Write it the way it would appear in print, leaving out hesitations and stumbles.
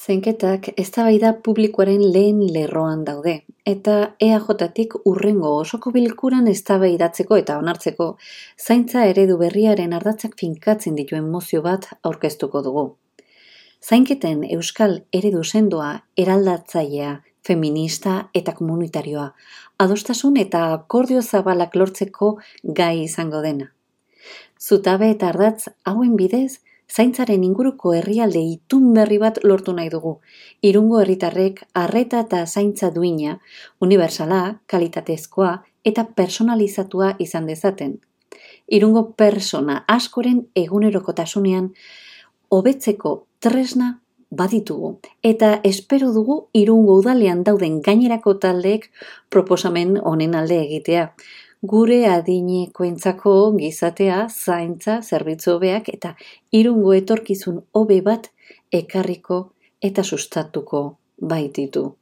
Zainketak eztabaida publikoaren lehen lerroan daude, eta EAJtik hurrengo osoko bilkuran eztabaidatzeko eta onartzeko zaintza eredu berriaren ardatzak finkatzen dituen mozio bat aurkeztuko dugu. Zainketen euskal eredu sendoa, eraldatzailea, feminista eta komunitarioa, adostasun eta akordio zabalak lortzeko gai izango dena. Zutabe eta ardatz hauen bidez, zaintzaren inguruko herrialde itun berri bat lortu nahi dugu. Irungo herritarrek arreta eta zaintza duina, unibertsala, kalitatezkoa eta personalizatua izan dezaten. Irungo persona askoren egunerokotasunean hobetzeko tresna baditugu eta espero dugu Irungo udalean dauden gainerako taldeek proposamen honen alde egitea. Gure adinekoentzako gizatea, zaintza, zerbitzu hobeak eta Irungo etorkizun hobe bat ekarriko eta sustatuko baititu.